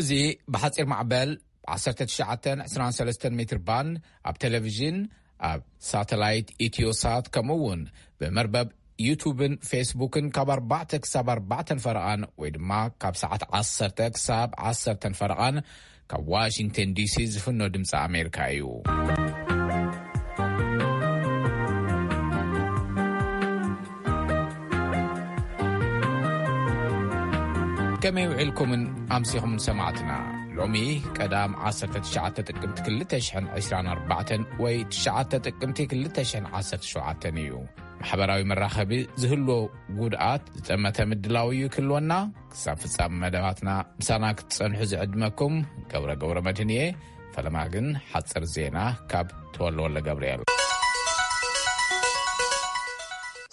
እዚ ብሓጺር ማዕበል ዓሰርተ ትሽዓተ ዕስራን ሰለስተን ሜትር ባንድ ኣብ ቴሌቪዥን፣ ኣብ ሳተላይት ኢትዮሳት፣ ከምኡ እውን ብመርበብ ዩቱብን ፌስቡክን ካብ ኣርባዕተ ክሳብ ኣርባዕተን ፈረቓን ወይ ድማ ካብ ሰዓት ዓሰርተ ክሳብ ዓሰርተን ፈረቓን ካብ ዋሽንግተን ዲሲ ዝፍኖ ድምፂ ኣሜሪካ እዩ። ከመይ ውዒልኩምን ኣምሲኹምን ሰማዕትና? ሎሚ ቀዳም ዓሰርተ ትሽዓተ ጥቅምቲ ክልተ ሽሕን ዕስራን ኣርባዕተን ወይ ትሽዓተ ጥቅምቲ ክልተ ሽሕን ዓሰርተ ሸውዓተን እዩ። ማሕበራዊ መራኸቢ ዝህልዎ ጉድኣት ዝጠመተ ምድላው እዩ ክህልወና። ክሳብ ፍጻመ መደባትና ምሳና ክትጸንሑ ዝዕድመኩም ገብረ ገብረ መድህን እየ። ፈለማ ግን ሓጽር ዜና ካብ ተወልደ ወልደ ገብርኤል።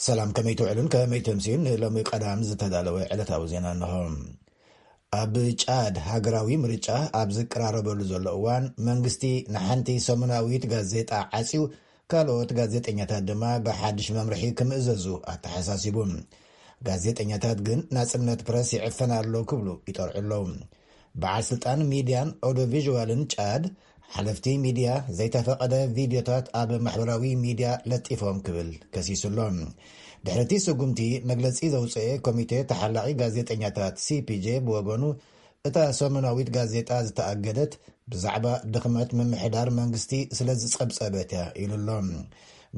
ሰላም፣ ከመይ ትውዕሉን ከመይ ትምስዩን? ንሎሚ ቀዳም ዝተዳለወ ዕለታዊ ዜና እንሆ። ኣብ ጫድ ሃገራዊ ምርጫ ኣብ ዝቀራረበሉ ዘሎ እዋን፣ መንግስቲ ንሓንቲ ሰሙናዊት ጋዜጣ ዓጽዩ፣ ካልኦት ጋዜጠኛታት ድማ ብሓድሽ መምርሒ ክምእዘዙ ኣተሓሳሲቡ። ጋዜጠኛታት ግን ናጽነት ፕረስ ይዕፈን ኣሎ ክብሉ ይጠርዑ ኣለዉ። በዓል ስልጣን ሚድያን ኦዲዮ ቪዥዋልን ጫድ፣ ሓለፍቲ ሚድያ ዘይተፈቐደ ቪድዮታት ኣብ ማሕበራዊ ሚድያ ለጢፎም ክብል ከሲሱ ኣሎ። ድሕሪ እቲ ስጉምቲ መግለጺ ዘውፅአ ኮሚቴ ተሓላቒ ጋዜጠኛታት፣ ሲ ፒ ጄ፣ ብወገኑ፣ እታ ሰሙናዊት ጋዜጣ ዝተኣገደት ብዛዕባ ድኽመት ምምሕዳር መንግስቲ ስለ ዝጸብጸበት እያ ኢሉ ኣሎ።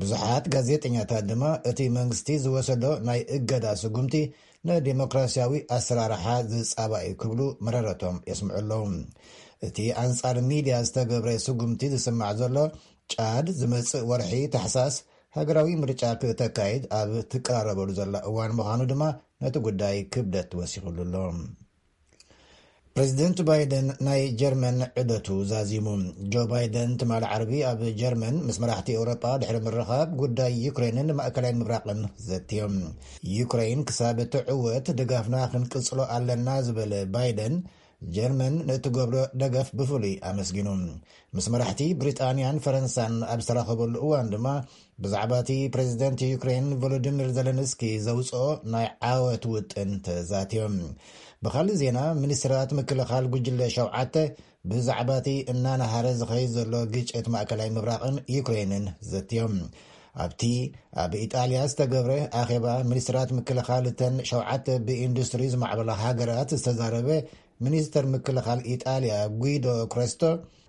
ብዙሓት ጋዜጠኛታት ድማ እቲ መንግስቲ ዝወሰዶ ናይ እገዳ ስጉምቲ ንዲሞክራሲያዊ ኣሰራርሓ ዝጻባእ እዩ ክብሉ መረረቶም የስምዑ ኣለዉ። እቲ ኣንጻር ሚድያ ዝተገብረ ስጉምቲ ዝስማዕ ዘሎ፣ ጫድ ዝመጽእ ወርሒ ታሕሳስ ሃገራዊ ምርጫ ክተካይድ ኣብ ትቀራረበሉ ዘላ እዋን ምዃኑ ድማ ነቲ ጉዳይ ክብደት ወሲኹሉ ኣሎ። ፕሬዚደንት ባይደን ናይ ጀርመን ዑደቱ ዛዚሙ። ጆ ባይደን ትማሊ ዓርቢ ኣብ ጀርመን ምስ መራሕቲ ኤውሮጳ ድሕሪ ምርኻብ፣ ጉዳይ ዩክሬንን ማእከላይ ምብራቕን ዘትዮም። ዩክሬን ክሳብ እትዕወት ድጋፍና ክንቅጽሎ ኣለና ዝበለ ባይደን፣ ጀርመን ንእትገብሮ ደገፍ ብፍሉይ ኣመስጊኑ። ምስ መራሕቲ ብሪጣንያን ፈረንሳን ኣብ ዝተራኸበሉ እዋን ድማ፣ ብዛዕባ እቲ ፕሬዚደንት ዩክሬን ቮሎዲሚር ዘለንስኪ ዘውፅኦ ናይ ዓወት ውጥን ተዛትዮም። ብኻልእ ዜና፣ ሚኒስትራት ምክልኻል ጉጅለ ሸውዓተ ብዛዕባ እቲ እናነሃረ ዝኸይድ ዘሎ ግጭት ማእከላይ ምብራቕን ዩክሬንን ዘትዮም። ኣብቲ ኣብ ኢጣልያ ዝተገብረ ኣኼባ ሚኒስትራት ምክልኻል እተን ሸውዓተ ብኢንዱስትሪ ዝማዕበላ ሃገራት ዝተዛረበ ሚኒስተር ምክልኻል ኢጣልያ ጒዶ ክረስቶ፣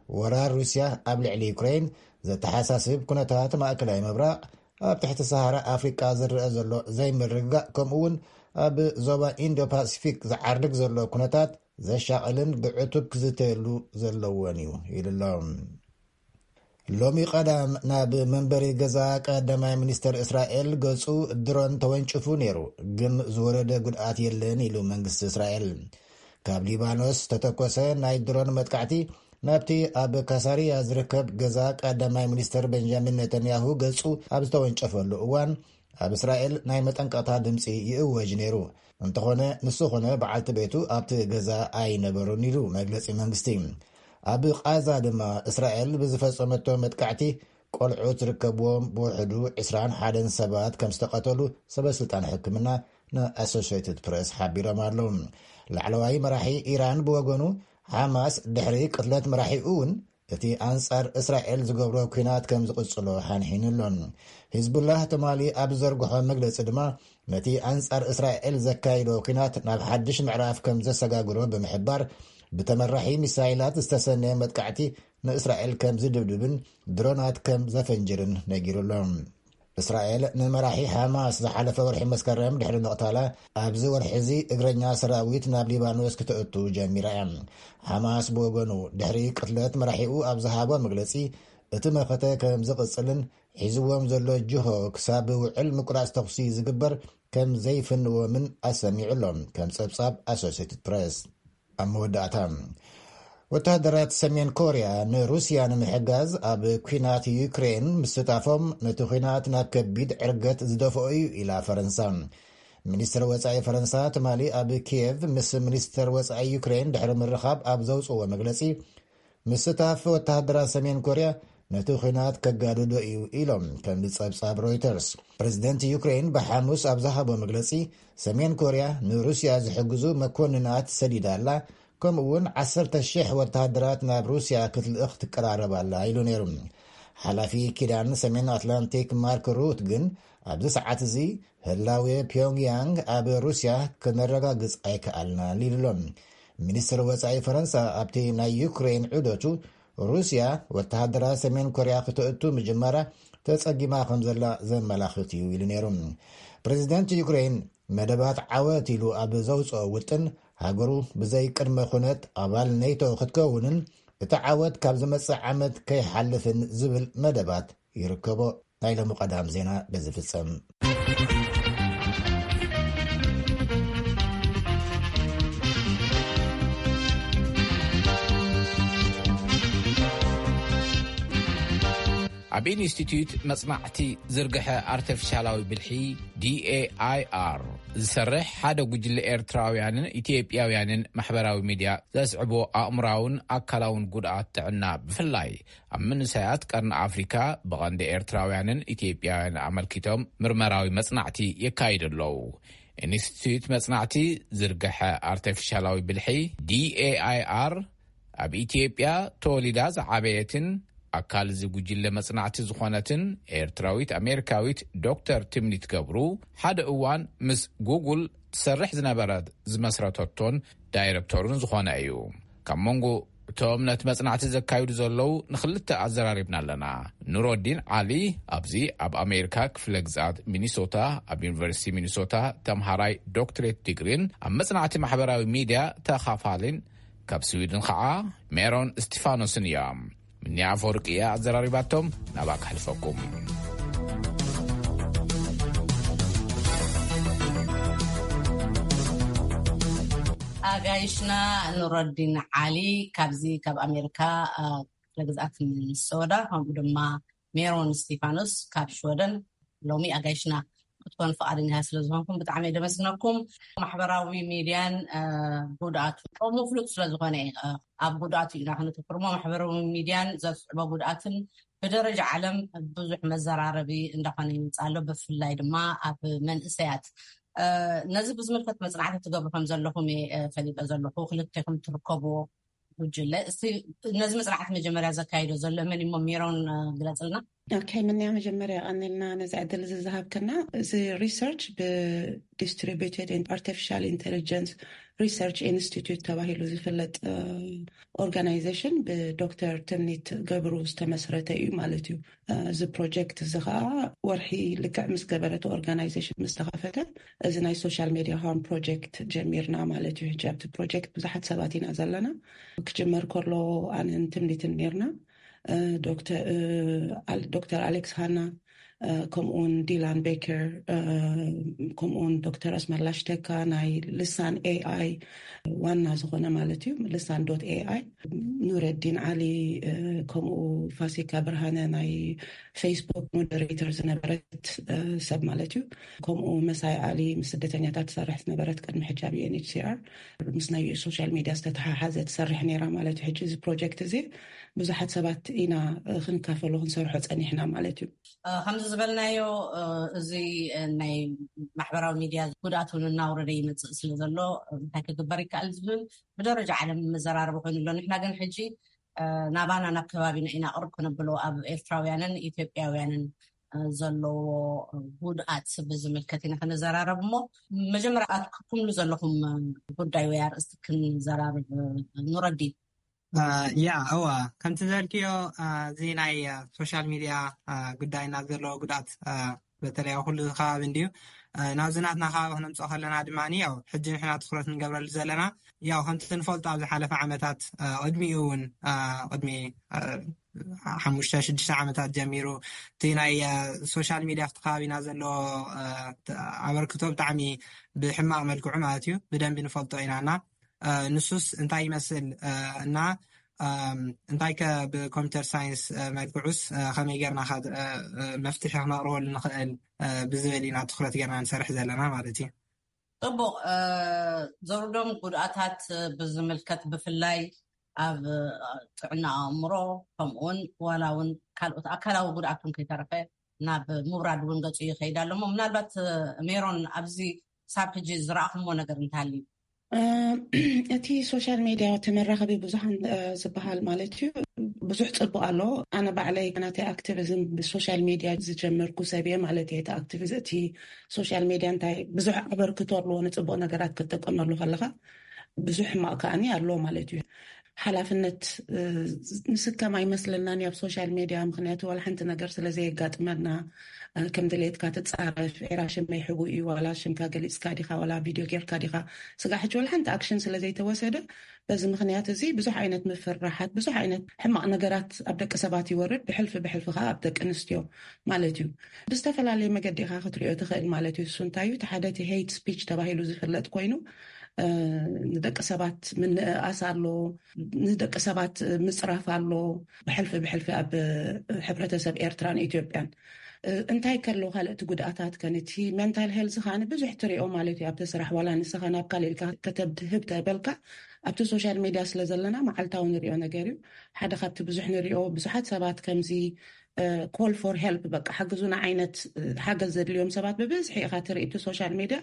ወራር ሩስያ ኣብ ልዕሊ ዩክሬን ዘተሓሳስብ ኩነታት ማእከላይ ምብራቕ፣ ኣብ ትሕቲ ሰሃራ ኣፍሪቃ ዝረአ ዘሎ ዘይምርግጋእ፣ ከምኡ እውን ኣብ ዞባ ኢንዶ ፓሲፊክ ዝዓርግ ዘሎ ኩነታት ዘሻቕልን ብዕቱብ ክዝተየሉ ዘለዎን እዩ ኢሉ ኣሎ። ሎሚ ቀዳም ናብ መንበሪ ገዛ ቀዳማይ ሚኒስተር እስራኤል ገጹ ድሮን ተወንጭፉ ነይሩ፣ ግን ዝወረደ ጉድኣት የለን ኢሉ መንግስቲ እስራኤል። ካብ ሊባኖስ ዝተተኮሰ ናይ ድሮን መጥቃዕቲ ናብቲ ኣብ ካሳሪያ ዝርከብ ገዛ ቀዳማይ ሚኒስተር ቤንጃሚን ኔታንያሁ ገጹ ኣብ ዝተወንጨፈሉ እዋን፣ ኣብ እስራኤል ናይ መጠንቀቕታ ድምጺ ይእወጅ ነይሩ። እንተኾነ፣ ንሱ ኾነ በዓልቲ ቤቱ ኣብቲ ገዛ ኣይነበሩን ኢሉ መግለጺ መንግስቲ። ኣብ ቃዛ ድማ እስራኤል ብዝፈጸመቶ መጥቃዕቲ ቆልዑት ዝርከብዎም ብውሕዱ ዕስራን ሓደን ሰባት ከም ዝተቐተሉ ሰበስልጣን ሕክምና ንኣሶሽየትድ ፕሬስ ሓቢሮም ኣለዉ። ላዕለዋይ መራሒ ኢራን ብወገኑ፣ ሓማስ ድሕሪ ቅትለት መራሒኡ እውን እቲ ኣንጻር እስራኤል ዝገብሮ ኲናት ከም ዝቕጽሎ ሓንሒኑ ኣሎ። ሂዝቡላህ ትማሊ ኣብ ዝዘርግሖ መግለጺ ድማ፣ ነቲ ኣንጻር እስራኤል ዘካይዶ ኲናት ናብ ሓድሽ ምዕራፍ ከም ዘሰጋግሮ ብምሕባር፣ ብተመራሒ ሚሳይላት ዝተሰነየ መጥቃዕቲ ንእስራኤል ከም ዝድብድብን ድሮናት ከም ዘፈንጅርን ነጊሩ ኣሎ። እስራኤል ንመራሒ ሓማስ ዝሓለፈ ወርሒ መስከረም ድሕሪ ምቕታላ፣ ኣብዚ ወርሒ እዚ እግረኛ ሰራዊት ናብ ሊባኖስ ክተእቱ ጀሚራ እያ። ሓማስ ብወገኑ፣ ድሕሪ ቅትለት መራሒኡ ኣብ ዝሃቦ መግለጺ፣ እቲ መኸተ ከም ዝቕጽልን ሒዝዎም ዘሎ ጅሆ ክሳብ ውዕል ምቁራጽ ተኹሲ ዝግበር ከም ዘይፍንዎምን ኣሰሚዑ ኣሎ፣ ከም ጸብጻብ ኣሶሴትድ ፕሬስ። ኣብ መወዳእታ፣ ወተሃደራት ሰሜን ኮርያ ንሩስያ ንምሕጋዝ ኣብ ኲናት ዩክሬን ምስታፎም፣ ነቲ ኲናት ናብ ከቢድ ዕርገት ዝደፍኦ እዩ ኢላ ፈረንሳ። ሚኒስትር ወጻኢ ፈረንሳ ትማሊ ኣብ ኪየቭ ምስ ሚኒስትር ወጻኢ ዩክሬን ድሕሪ ምርኻብ ኣብ ዘውጽእዎ መግለጺ፣ ምስታፍ ወተሃደራት ሰሜን ኮርያ ነቲ ኲናት ከጋድዶ እዩ ኢሎም፣ ከም ጸብጻብ ሮይተርስ። ፕሬዚደንት ዩክሬን ብሓሙስ ኣብ ዝሃቦ መግለጺ፣ ሰሜን ኮርያ ንሩስያ ዝሕግዙ መኮንናት ሰዲዳ ኣላ፣ ከምኡ እውን ዓሰርተ ሽሕ ወተሃደራት ናብ ሩስያ ክትልእኽ ትቀራረብ ኣላ ኢሉ ነይሩ። ሓላፊ ኪዳን ሰሜን ኣትላንቲክ ማርክ ሩት ግን ኣብዚ ሰዓት እዚ ህላዌ ፒዮንግያንግ ኣብ ሩስያ ክነረጋግጽ ኣይከኣልናን ኢሉ ኣሎ። ሚኒስትር ወጻኢ ፈረንሳ ኣብቲ ናይ ዩክሬን ዑደቱ፣ ሩስያ ወተሃደራት ሰሜን ኮርያ ክተእቱ ምጅማራ ተጸጊማ ከም ዘላ ዘመላኽት እዩ ኢሉ ነይሩ። ፕሬዚደንት ዩክሬን መደባት ዓወት ኢሉ ኣብ ዘውፅኦ ውጥን፣ ሃገሩ ብዘይ ቅድመ ኩነት ኣባል ኔቶ ክትከውንን እቲ ዓወት ካብ ዝመጽእ ዓመት ከይሓልፍን ዝብል መደባት ይርከቦ። ናይ ሎሚ ቀዳም ዜና በዚ ፍጸም። ኣብ ኢንስቲትዩት መጽናዕቲ ዝርግሐ ኣርቲፊሻላዊ ብልሒ፣ ዲ ኤ ኣይ ኣር፣ ዝሰርሕ ሓደ ጉጅለ ኤርትራውያንን ኢትዮጵያውያንን ማሕበራዊ ሚድያ ዘስዕቦ ኣእምራውን ኣካላውን ጉድኣት ጥዕና፣ ብፍላይ ኣብ መንእሰያት ቀርኒ ኣፍሪካ፣ ብቐንዲ ኤርትራውያንን ኢትዮጵያውያን ኣመልኪቶም ምርመራዊ መጽናዕቲ የካይዱ ኣለዉ። ኢንስቲትዩት መጽናዕቲ ዝርግሐ ኣርቲፊሻላዊ ብልሒ፣ ዲ ኤ ኣይ ኣር፣ ኣብ ኢትዮጵያ ተወሊዳ ዝዓበየትን ኣካል እዚ ጉጅለ መጽናዕቲ ዝኾነትን ኤርትራዊት ኣሜሪካዊት ዶክተር ትምኒት ገብሩ፣ ሓደ እዋን ምስ ጉጉል ትሰርሕ ዝነበረት፣ ዝመስረተቶን ዳይረክተሩን ዝኾነ እዩ። ካብ መንጎ እቶም ነቲ መጽናዕቲ ዘካይዱ ዘለዉ ንኽልተ ኣዘራሪብና ኣለና። ኑሮዲን ዓሊ ኣብዚ ኣብ ኣሜሪካ ክፍለ ግዝኣት ሚኒሶታ ኣብ ዩኒቨርሲቲ ሚኒሶታ ተምሃራይ ዶክትሬት ዲግሪን ኣብ መጽናዕቲ ማሕበራዊ ሚድያ ተኻፋሊን፣ ካብ ስዊድን ኸዓ ሜሮን እስቲፋኖስን እዮም። ምንያ ኣፈወርቂ እያ ኣዘራሪባቶም። ናብኣ ከሕልፈኩም። ኣጋይሽና ኑረዲን ዓሊ ካብዚ ካብ ኣሜሪካ፣ አ፣ ክፍለ ግዝኣት ሚኒሶታ፣ ከምኡ ድማ ሜሮን ስቲፋኖስ ካብ ሽወደን ሎሚ ኣጋይሽና ክትኮኑ ፍቓደኛ ስለ ዝኾንኩም ብጣዕሚ እየ ደመስግነኩም። ማሕበራዊ ሚድያን፣ አ፣ ጉድኣቱ ከምኡ ፍሉጥ ስለ ዝኾነ፣ አ፣ ኣብ ጉድኣቱ ኢና ክንትኩር እሞ ማሕበራዊ ሚድያን ዘስዕቦ ጉድኣትን ብደረጃ ዓለም ብዙሕ መዘራረቢ እንዳኾነ ይመጽእ ኣሎ፣ ብፍላይ ድማ ኣብ መንእሰያት። አ፣ ነዚ ብዝምልከት መጽናዕቲ ትገብሩ ከም ዘለኹም እየ፣ አ፣ ፈሊጠ ዘለኹ። ክልቴኹም ትርከብዎ ጉጅለ። እስቲ ነዚ መጽናዕቲ መጀመርያ ዘካይዶ ዘሎ መን እሞ ሜሮን፣ አ፣ ግለጽልና። ኦኬ፣ ምንያ መጀመርያ ቀኒልና ነዚ ዕድል እዚ ዝሃብክና። እዚ ሪሰርች ብዲስትሪቢዩትድ ኣርቲፊሻል ኢንቴሊጀንስ ሪሰርች ኢንስቲትዩት ተባሂሉ ዝፍለጥ፣ እ፣ ኦርጋናይዜሽን ብዶክተር ትምኒት ገብሩ ዝተመስረተ እዩ ማለት እዩ። እ፣ እዚ ፕሮጀክት እዚ ኸዓ ወርሒ ልክዕ ምስ ገበረቲ ኦርጋናይዜሽን ምስ ተኸፈተ፣ እዚ ናይ ሶሻል ሜድያ ሃርም ፕሮጀክት ጀሚርና ማለት እዩ። ሕጂ ኣብቲ ፕሮጀክት ብዙሓት ሰባት ኢና ዘለና። ክጅመር ከሎ ኣነን ትምኒትን ነርና። እ፣ ዶክተር፣ እ፣ ኣል-፣ ዶክተር ኣሌክስ ሃና፣ እ፣ ከምኡውን ዲላን ቤከር፣ እ፣ ከምኡውን ዶክተር ኣስመላሽ ተካ ናይ ልሳን ኤ ኣይ ዋና ዝኾነ ማለት እዩ፣ ልሳን ዶት ኤ ኣይ፣ ኑረዲን ዓሊ፣ እ፣ ከምኡ ፋሲካ ብርሃነ ናይ ፌስቡክ ሞደሬተር ዝነበረት፣ እ፣ ሰብ ማለት እዩ። ከምኡ መሳይ ዓሊ ምስ ስደተኛታት ትሰርሕ ዝነበረት ቅድሚ ሕጂ ኣብ ዩ ኤን ኤች ሲ ኣር ምስ ናይ ሶሻል ሚድያ ዝተተሓሓዘ ትሰርሕ ነይራ ማለት እዩ። ሕጂ እዚ ፕሮጀክት እዚ ብዙሓት ሰባት ኢና፣ እ፣ ክንካፈሎ ክንሰርሖ ጸኒሕና ማለት እዩ። እ፣ ከምዚ ዝበልናዮ፣ እ፣ እዚ፣ እ፣ ናይ ማሕበራዊ ሚድያ ጉድኣት እውን እናውረደ ይመጽእ ስለ ዘሎ፣ እ፣ እንታይ ክግበር ይከኣል ዝብል ብደረጃ ዓለም መዘራረቢ ኮይኑ ኣሎ። ንሕና ግን ሕጂ፣ እ፣ ናባና ናብ ከባቢና ኢና ቅርብ ክነብሎ ኣብ ኤርትራውያንን ኢትዮጵያውያንን፣ እ፣ ዘለዎ ጉድኣት ብዝምልከት ኢና ክንዘራረብ እሞ መጀመርያ ኣትኩምሉ ዘለኹም ጉዳይ ወይ ኣርእስቲ ክንዘራረብ፣ እ፣ ኑረዲን። እ፣ ያ፣ እዋ፣ ከምቲ ዘልክዮ፣ እ፣ እዚ ናይ፣ እ፣ ሶሻል ሚድያ፣ እ፣ ጉዳይ ናብ ዘለዎ ጉድኣት፣ እ፣ በተለይ ኣብ ኩሉ ከባቢ እንድዩ። እ፣ ናብዚ ናትና ከባቢ ክነምፅኦ ከለና ድማ፣ ያው፣ ሕጂ ንሕና ትኩረት ንገብረሉ ዘለና፣ ያው፣ ከምቲ ንፈልጦ ኣብ ዝሓለፈ ዓመታት፣ እ፣ ቅድሚኡ እውን፣ እ፣ ቅድሚ፣ እ፣ ሓሙሽተ፣ ሽዱሽተ ዓመታት ጀሚሩ፣ እቲ ናይ፣ እ፣ ሶሻል ሚድያ ኣብቲ ከባቢና ዘለዎ፣ እ፣ ተ-፣ ኣበርክቶ ብጣዕሚ ብሕማቕ መልክዑ ማለት እዩ፣ ብደንቢ ንፈልጦ ኢና እና፣ እ፣ ንሱስ እንታይ ይመስል፣ እ፣ እና፣ እም፣ እንታይ ከ ብኮምፒውተር ሳይንስ፣ እ፣ መልክዑስ፣ እ፣ ከመይ ጌርና ከ፣ እ፣ እ፣ መፍትሒ ክነቕርበሉ ንኽእል፣ እ፣ ብዝብል ኢና ትኹረት ጌርና ንሰርሕ ዘለና ማለት እዩ። ጽቡቕ፣ እ፣ ዘውርዶም ጉድኣታት፣ እ፣ ብዝምልከት ብፍላይ ኣብ፣ እ፣ ጥዕና ኣእምሮ ከምኡውን ዋላ እውን ካልኦት ኣካላዊ ጉድኣት እውን ከይተረፈ ናብ ምውራድ እውን ገጹ ይኸይድ ኣሎ። እሞ ምናልባት፣ እ፣ ሜሮን ኣብዚ ክሳብ ሕጂ ዝረኣኹምዎ ነገር እንተሃልዩ? እቲ ሶሻል ሜድያ፣ እቲ መራኸቢ ብዙሓን ዝበሃል ማለት እዩ፣ ብዙሕ ጽቡቕ ኣሎ። ኣነ ባዕለይ ናተይ ኣክቲቪዝም ብሶሻል ሜድያ ዝጀመርኩ ሰብ እየ ማለት እየ። እቲ ኣክቲቪዝም፣ እቲ ሶሻል ሜድያ እንታይ ብዙሕ ኣበርክቶ ኣለዎ፣ ንጽቡቕ ነገራት ክትጥቀመሉ ከለኻ፣ ብዙሕ ሕማቕ ከኣኒ ኣለዎ ማለት እዩ። ሓላፍነት ንስከም ኣይመስለናን ኣብ ሶሻል ሜድያ፣ ምክንያቱ ዋላ ሓንቲ ነገር ስለ ዘየጋጥመና፣ ከም ድሌትካ ትጻረፍ፣ ኤራ ሽመይ ሕቡ እዩ፣ ዋላ ሽምካ ገሊጽካ ዲኻ፣ ዋላ ቪድዮ ጌርካ ዲኻ፣ ስጋዕ ሕጂ ዋላ ሓንቲ ኣክሽን ስለ ዘይተወሰደ፣ በዚ ምክንያት እዚ ብዙሕ ዓይነት ምፍርራሓት፣ ብዙሕ ዓይነት ሕማቕ ነገራት ኣብ ደቂ ሰባት ይወርድ፣ ብሕልፊ ብሕልፊ ከዓ ኣብ ደቂ ኣንስትዮ ማለት እዩ። ብዝተፈላለየ መገዲ ኢኻ ክትሪኦ ትኽእል ማለት እዩ። እሱ እንታይ እዩ? እቲ ሓደ እቲ ሄይት ስፒች ተባሂሉ ዝፍለጥ ኮይኑ፣ ንደቂ ሰባት ምንእኣስ ኣሎ፣ ንደቂ ሰባት ምፅራፍ ኣሎ፣ ብሕልፊ ብሕልፊ ኣብ ሕብረተሰብ ኤርትራን ኢትዮጵያን። እንታይ ከሎ ካልእቲ ጉድኣታት ከን እቲ ሜንታል ሄልዝ ከዓኒ ብዙሕ ትሪኦ ማለት እዩ። ኣብቲ ስራሕ ዋላ ንስኻ ናብ ካልእ ኢልካ ከተብድህብ ተበልካ፣ ኣብቲ ሶሻል ሜድያ ስለ ዘለና መዓልታዊ ንሪኦ ነገር እዩ። ሓደ ካብቲ ብዙሕ ንሪኦ፣ ብዙሓት ሰባት ከምዚ ኮል ፎር ሄልፕ፣ በቃ ሓግዙና ዓይነት ሓገዝ ዘድልዮም ሰባት ብብዝሒ ኢኻ ትርኢ። እቲ ሶሻል ሜድያ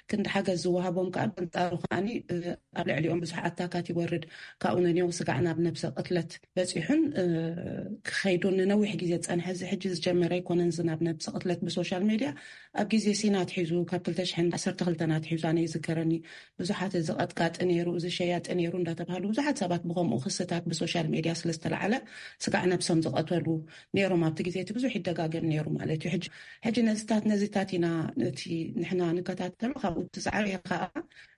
ክንዲ ሓገዝ ዝወሃቦም ከዓ በንጻሩ ከዓኒ ኣብ ልዕሊኦም ብዙሕ ኣታካት ይወርድ። ካብኡ ነኒኦም ስጋዕ ናብ ነብሰ ቅትለት በጺሑን ክኸይዱን ንነዊሕ ግዜ ዝጸንሐ፣ እዚ ሕጂ ዝጀመረ ኣይኮነን። እዚ ናብ ነብሰ ቅትለት ብሶሻል ሜድያ ኣብ ግዜ ሲና ኣትሒዙ፣ ካብ ክልተ ሽሕን ዓሰርተ ክልተን ኣትሒዙ ኣነ ይዝከረኒ፣ ብዙሓት እዚ ቀጥቃጢ ነይሩ፣ እዚ ሸያጢ ነይሩ እንዳተባሃሉ ብዙሓት ሰባት ብኸምኡ ክስታት ብሶሻል ሜድያ ስለ ዝተላዓለ ስጋዕ ነብሶም ዝቐተሉ ነይሮም። ኣብቲ ግዜ እቲ ብዙሕ ይደጋገም ነይሩ ማለት እዩ። ሕጂ፣ ሕጂ ነዚታት፣ ነዚታት ኢና እቲ ንሕና ንከታተሎ። ካብኡ እቲ ዝዓበየ ከዓ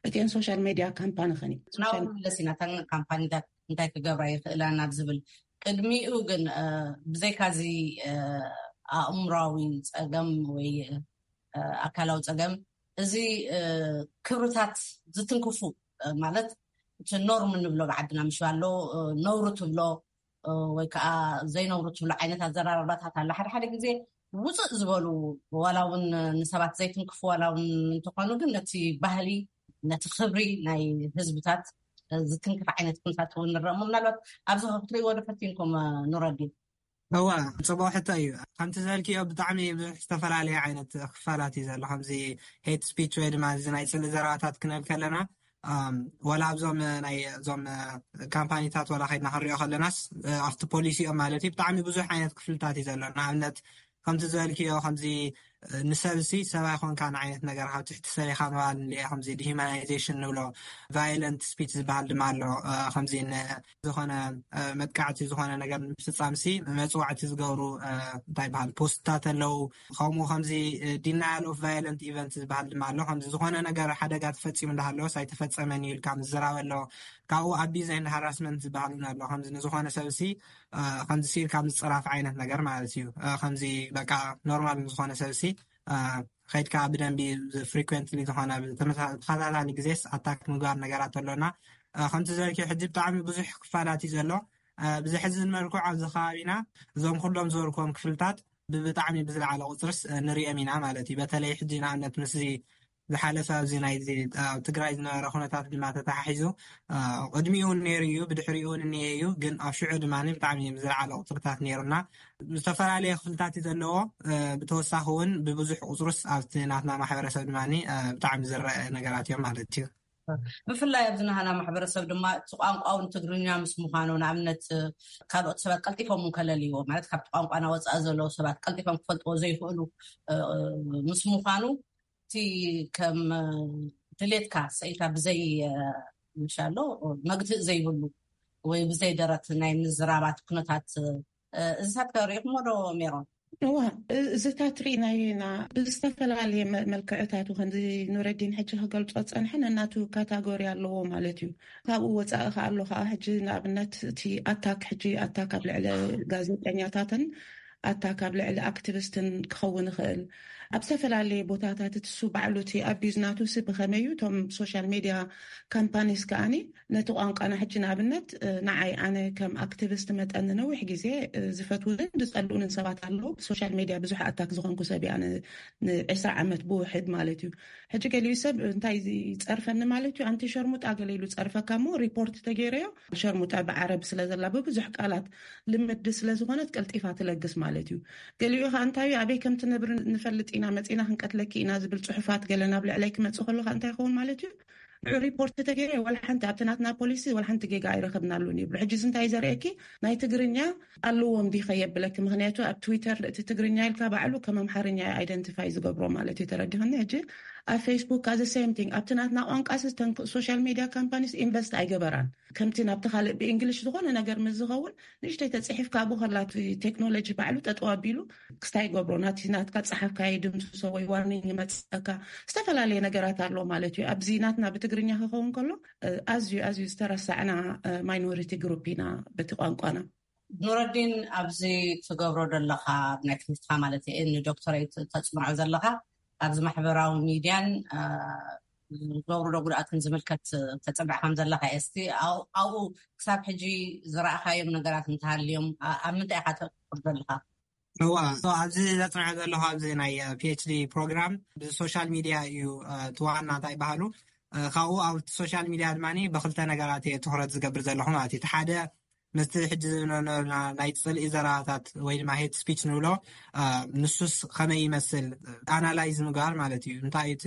እቲአን ሶሻል ሜድያ ካምፓኒ ኸኒ ናብኡ ሶሻል መለስ ኢና። እተን ካምፓኒታት እንታይ ክገብራ ይኽእላ ናብ ዝብል፣ ቅድሚኡ ግን ብዘይካዚ ኣእምራዊ ጸገም ወይ ኣካላዊ ጸገም፣ እዚ ክብርታት ዝትንክፉ፣ ማለት እቲ ኖርም እንብሎ ብዓድና ምሽ ኣሎ፣ ነውሪ ትብሎ ወይ ከዓ ዘይነውሪ ትብሎ ዓይነት ኣዘራርባታት ኣሎ። ሓደ ሓደ ግዜ ውፅእ ዝበሉ፣ ዋላ እውን ንሰባት ዘይትንክፉ ዋላ እውን እንተኾኑ፣ ግን ነቲ ባህሊ፣ ነቲ ክብሪ ናይ ህዝብታት ዝትንክፍ ዓይነት ኩነታት እውን ንረእሞ። ምናልባት ኣብዚ ክትሪእዎ ዶ ፈቲንኩም ኑረዲን? እዋ፣ ጽቡቕ ሕቶ እዩ። ከምቲ ዝበልክዮ ብጣዕሚ ብዙሕ ዝተፈላለየ ዓይነት ክፋላት እዩ ዘሎ። ከምዚ ሄት ስፒች ወይ ድማ እዚ ናይ ጽልኢ ዘረባታት ክንብል ከለና፣ ዋላ ኣብዞም ናይ እዞም ካምፓኒታት ዋላ ከይድና ክንሪኦ ከለናስ፣ ኣብቲ ፖሊሲኦም ማለት እዩ ብጣዕሚ ብዙሕ ዓይነት ክፍልታት እዩ ዘሎ። ንኣብነት ከምቲ ዝበልክዮ ከምዚ ንሰብሲ ሰብ ኣይኮንካን ዓይነት ነገር፣ ካብ ትሕቲ ሰብ ኢኻ ምባል፣ ከምዚ ዲሂማናይዜሽን ንብሎ፣ ቫዮለንት ስፒች ዝበሃል ድማ ኣሎ። ከምዚ ዝኾነ መጥቃዕቲ ዝኾነ ነገር ንምፍፃምሲ መፅዋዕቲ ዝገብሩ እንታይ ይበሃል ፖስትታት ኣለዉ። ከምኡ ከምዚ ዲናያል ኦፍ ቫዮለንት ኢቨንት ዝበሃል ድማ ኣሎ። ከምዚ ዝኾነ ነገር ሓደጋ ተፈፂሙ እንዳሃለወስ ኣይተፈፀመን እዩ ኢልካ ምዝራብ ኣሎ። ካብኡ ኣቢዝ ኤንድ ሃራስመንት ዝበሃል እውን ኣሎ። ከምዚ ንዝኾነ ሰብሲ ከምዚ ሲልካ ምፅራፍ ዓይነት ነገር ማለት እዩ። ከምዚ በቃ ኖርማል ንዝኾነ ሰብሲ ከይድካ ብደንቢ ፍሪኩንትሊ ዝኾነ ተኸታታሊ ግዜስ ኣታክ ምግባር ነገራት ኣሎና። ከምቲ ዝበልክዮ ሕጂ ብጣዕሚ ብዙሕ ክፋላት እዩ ዘሎ። ብዘሕዝን መልክዑ ኣብዚ ከባቢና እዞም ኩሎም ዝበልክዎም ክፍልታት ብብጣዕሚ ብዝለዓለ ቁፅርስ ንሪኦም ኢና ማለት እዩ። በተለይ ሕጂ ንኣብነት ምስዚ ዝሓለፈ ኣብዚ ናይ ኣብ ትግራይ ዝነበረ ኩነታት ድማ ተተሓሒዙ ቅድሚኡ እውን ነይሩ እዩ፣ ብድሕሪኡ እውን እኒሀ እዩ። ግን ኣብ ሽዑ ድማ ብጣዕሚ ብዝለዓለ ቁፅርታት ነይሩና። ዝተፈላለየ ክፍልታት እዩ ዘለዎ። ብተወሳኺ እውን ብብዙሕ ቁፅሩስ ኣብቲ ናትና ማሕበረሰብ ድማ ብጣዕሚ ዝረአ ነገራት እዮም ማለት እዩ። ብፍላይ ኣብዚ ናህና ማሕበረሰብ ድማ እቲ ቋንቋ እውን ትግርኛ ምስ ምዃኑ፣ ንኣብነት ካልኦት ሰባት ቀልጢፎም እውን ከለልይዎ፣ ማለት ካብቲ ቋንቋና ወፃኢ ዘለዉ ሰባት ቀልጢፎም ክፈልጥዎ ዘይኽእሉ ምስ ምዃኑ፣ እቲ ከም ድሌትካ ሰኢልካ ብዘይ ምሻሎ መግትእ ዘይብሉ ወይ ብዘይ ደረት ናይ ምዝራባት ኩነታት እዚታት ከ ሪኢኹሞ ዶ ሜሮን? እዋ፣ እዚታት ርኢናዮ ኢና ብዝተፈላለየ መልክዕታቱ። ከምዚ ኑረዲን ሕጂ ክገልጾ ዝጸንሐ ነናቱ ካታጎሪ ኣለዎ ማለት እዩ። ካብኡ ወጻኢ ከኣ ኣሎ ከኣ ሕጂ ንኣብነት እቲ ኣታክ፣ ሕጂ ኣታክ ኣብ ልዕሊ ጋዜጠኛታትን ኣታክ ኣብ ልዕሊ ኣክቲቪስትን ክኸውን ይኽእል። ኣብ ዝተፈላለየ ቦታታት እቲ እሱ ባዕሉ እቲ ኣቢዝ ናቱ ሲ ብኸመይ እዩ እቶም ሶሻል ሜድያ ካምፓኒስ ከኣኒ ነቲ ቋንቋና ሕጂ ንኣብነት ንዓይ ኣነ ከም ኣክቲቪስት መጠን ንነዊሕ ግዜ ዝፈትውንን ዝጸልኡንን ሰባት ኣለዉ። ብሶሻል ሜድያ ብዙሕ ኣታክ ዝኾንኩ ሰብ እየ ኣነ ንዕስራ ዓመት ብውሕድ ማለት እዩ። ሕጂ ገሊኡ ሰብ እንታይ ይጸርፈኒ ማለት እዩ፣ ኣንቲ ሸርሙጣ ገለ ኢሉ ጸርፈካ እሞ ሪፖርት ተገይረዮ ሸርሙጣ ብዓረብ ስለ ዘላ ብብዙሕ ቃላት ልምዲ ስለ ዝኾነት ቀልጢፋ ትለግስ ማለት እዩ። ገሊኡ ኸዓ እንታይ እዩ፣ ኣበይ ከም ትነብሪ ንፈልጥ ኢና፣ መጺና ክንቀትለኪ ኢና ዝብል ጽሑፋት ገለ ናብ ልዕለይ ክመጽእ ከሎ ኸዓ እንታይ ይኸውን ማለት እዩ፣ ሪፖርት ተገይረ ዋላ ሓንቲ ኣብቲ ናትና ፖሊሲ ዋላ ሓንቲ ጌጋ ኣይረኸብናሉን ይብሉ። ሕጂ እዚ እንታይ ዘርእየኪ ናይ ትግርኛ ኣለዎም ዲኸ የብለኪ። ምክንያቱ ኣብ ትዊተር እቲ ትግርኛ ኢልካ ባዕሉ ከም ኣምሓርኛ ኣይደንቲፋይ ዝገብሮ ማለት እዩ። ተረዲኸኒ? ሕጂ ኣብ ፌስቡክ ኣዘ ሴም ቲንግ ኣብቲ ናትና ቋንቋ ሶሻል ሚዲያ ካምፓኒስ ኢንቨስት ኣይገበራን። ከምቲ ናብቲ ካልእ ብእንግሊሽ ዝኾነ ነገር ምስ ዝኸውን ንእሽተይ ተፅሒፍካ ኣብኡ ከላ እቲ ቴክኖሎጂ ባዕሉ ጠጠው ኣቢሉ ክስታይ ይገብሮ። ናቲ ናትካ ፀሓፍካ ይድምስሶ ወይ ዋርኒንግ ይመፅካ። ዝተፈላለየ ነገራት ኣሎ ማለት እዩ። ኣብዚ ናትና ብትግርኛ ክኸውን ከሎ ኣዝዩ ኣዝዩ ዝተረሳዕና ማይኖሪቲ ግሩፕ ኢና በቲ ቋንቋና። ኑረዲን፣ ኣብዚ ትገብሮ ዘለኻ ናይ ትምህርትካ ማለት እዩ ንዶክተሬት ተፅንዖ ዘለኻ ኣብዚ ማሕበራዊ ሚድያን ዝገብሩ ዶ ጉድኣትን ዝምልከት ተፅንዕ ከም ዘለካ እየ። እስቲ ኣብኡ ክሳብ ሕጂ ዝረእካዮም ነገራት እንተሃልዮም ኣብ ምንታይ ኢካ ተቅር ዘለካ? እዋ፣ ኣብዚ ዘፅንዐ ዘለኹ ኣብዚ ናይ ፒኤችዲ ፕሮግራም ብሶሻል ሚድያ እዩ። እቲ ዋና እንታይ ይበሃሉ ካብኡ ኣብ ሶሻል ሚድያ ድማ ብክልተ ነገራት እየ ትኩረት ዝገብር ዘለኹ ማለት እዩ። ሓደ ምስቲ ሕጂ ዝብለና ናይ ፅልኢ ዘረባታት ወይ ድማ ሄት ስፒች ንብሎ ንሱስ ከመይ ይመስል ኣናላይዝ ምግባር ማለት እዩ። እንታይ እቲ